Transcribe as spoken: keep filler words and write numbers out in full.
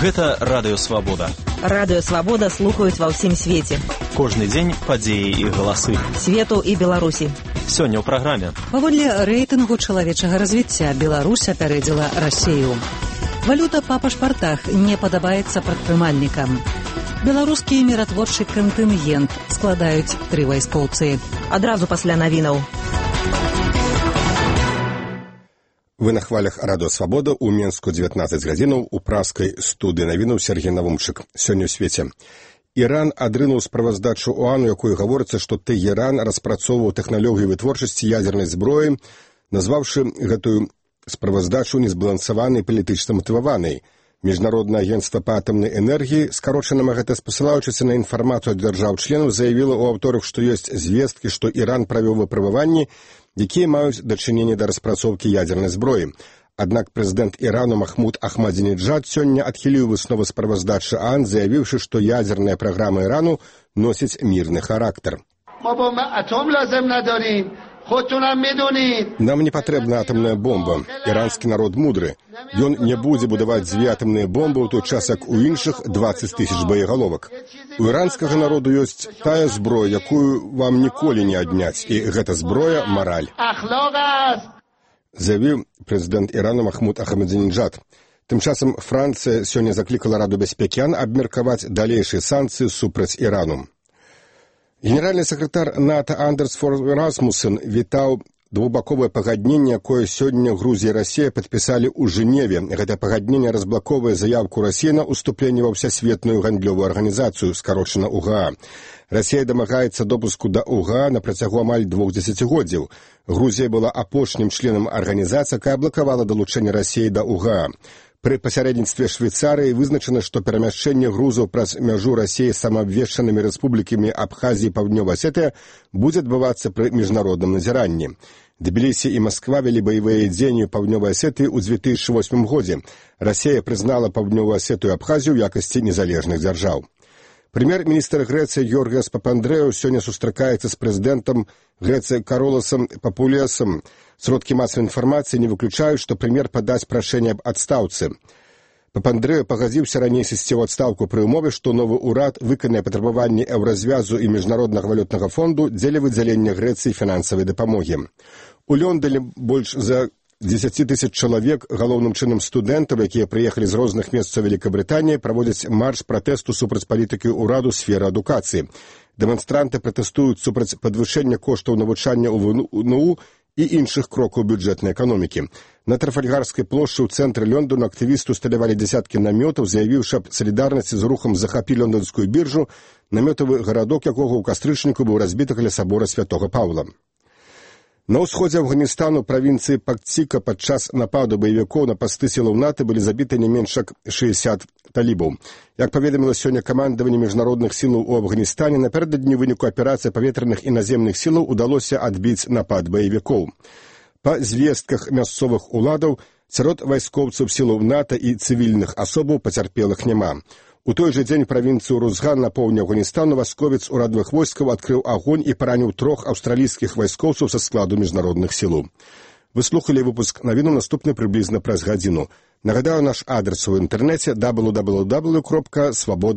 Гэта Радыё Свабода. Радыё Свабода слухаюць ва ўсім свеце. Кожны дзень падзеі і галасы. Свету і Беларусі. Сёння ў праграме. Паводле рэйтынгу чалавечага развіцця Беларусь апярэдзіла Расію. Валюта па пашпартах не падабаецца прадпрымальнікам. Беларускі міратворчы кантынгент складаюць тры вайскоўцы. Адразу пасля навінаў. Вы на хвалях Радыё Свабода ў Менску дзевятнаццаць гадзінаў у праскай студыі навінаў Сергей Навумчык. Сёння ў свеце. Іран адрынуў справаздачу ОАН, у якой гаворыцца, што Тэгеран распрацоўваў тэхналогію вытворчасці ядзернай зброі, назваўшы гэтую справаздачу незбалансаванай палітычна матываванай. Міжнароднае агенцтва па атамнай энергіі, скарочана гэта спасылаючыся на інфармацыю ад дзяржаў-членаў, заявіла ў аўторак, што ёсць звесткі, што Іран правёў выпрабаванні, якія маюць дачыненне да распрацоўкі ядзернай зброі. Аднак прэзідэнт Ірану Махмуд Ахмадзінеджад сёння адхіліў высновы справаздачы ОАН, заявіўшы, што ядзерная праграма Ірану носіць мірны характар. Нам не патрэбна атамная бомба. Іранскі народ мудры. Ён не будзе будаваць дзве атамныя бомбы ў той час, як у іншых дваццаць тысяч боегаловак. У іранскага народу ёсць тая зброя, якую вам ніколі не адняць, і гэта зброя – мараль. Заявіў прэзідэнт Ірану Махмуд Ахмадзінеджад. Тым часам Францыя сёння заклікала Раду бяспекі ОАН абмеркаваць далейшыя санкцыі супраць Ірану. Генеральны сакратар НАТО Андерс Фор Расмуссен вітаў двухбаковае пагадненне, якое сёння Грузія і Расія падпісалі ў Жэневе. Гэта пагадненне разблаковае заявку Расіі на ўступленне ва ўсясветную гандлёвую арганізацыю, скарочана УГА. Расія дамагаецца допуску да УГА на працягу амаль двух дзесяцігоддзяў. Грузія была апошнім членам арганізацыі, якая блакавала далучэнне Расіі да УГА. Пры пасярэдніцтве Швейцарыі вызначана, што перамяшчэнне грузаў праз мяжу Расіі з самаабвешчанымі рэспублікамі Абхазіі і Паўднёвая Асетыя будзе адбывацца пры міжнародным назіранні. Тбілісі і Масква вялі баявыя дзеянні ў Паўднёвай Асетыі ў дзве тысячы восьмым годзе. Расія прызнала Паўднёвую Асетыю і Абхазію ў якасці незалежных дзяржаў. Прэм'ер-міністр Грэцыі Георгіас Папандрэу сёння сустракаецца з прэзідэнтам Грэцыі Кароласам Папулесам. Сродкі масавай інфармацыі не выключаюць, што прэм'ер падаць прашэнне аб адстаўцы. Папандрэу пагадзіўся раней сысці ў адстаўку пры ўмове, што новы ўрад выканае патрабаванні еўразвязу і міжнароднага валютнага фонду дзеля выдзялення Грэцыі фінансавай дапамогі. У Лондоне больш за дзесяць тысяч чалавек, галоўным чынам студэнтаў, якія прыехалі з розных месцаў Вялікабрытаніі, праводзяць марш пратэсту супраць палітыкі ўраду сферы адукацыі. Дэманстранты пратэстуюць супраць падвышэння коштаў навучання ў ВНУ і іншых крокаў бюджэтнай эканомікі. На Трафальгарскай плошчы ў цэнтры Лондона актывісты усталявалі дзясяткі намётаў, заявіўшы аб салідарнасці з рухам «Захапі лондонскую біржу», намётавы гарадок якога ў кастрычніку быў разбіты каля сабора святога Паўла. На ўсходзе Афганістану правінцыі Пакціка падчас нападу баевікоў на пасты сілаў НАТО былі забіты не менш як шэсцьдзесят талібаў. Як паведаміла сёння камандаванне міжнародных сілаў у Афганістане, напярэдадні выніку аперацыі паветраных і наземных сілаў удалося адбіць напад баевікоў. Па звестках мясцовых уладаў, сярод вайскоўцаў сілаў НАТО і цывільных асобаў пацярпелых няма. У той жа дзень правінцыю Рузган на поўдні Афганістану вайсковец урадавых войскаў адкрыў агонь і параніў трох аўстралійскіх вайскоўцаў са складу міжнародных сілаў. Вы слухалі выпуск навіну, наступны прыблізна праз гадзіну. Нагадаю, наш адрес у інтэрнэце дабл ю дабл ю дабл ю кропка свабода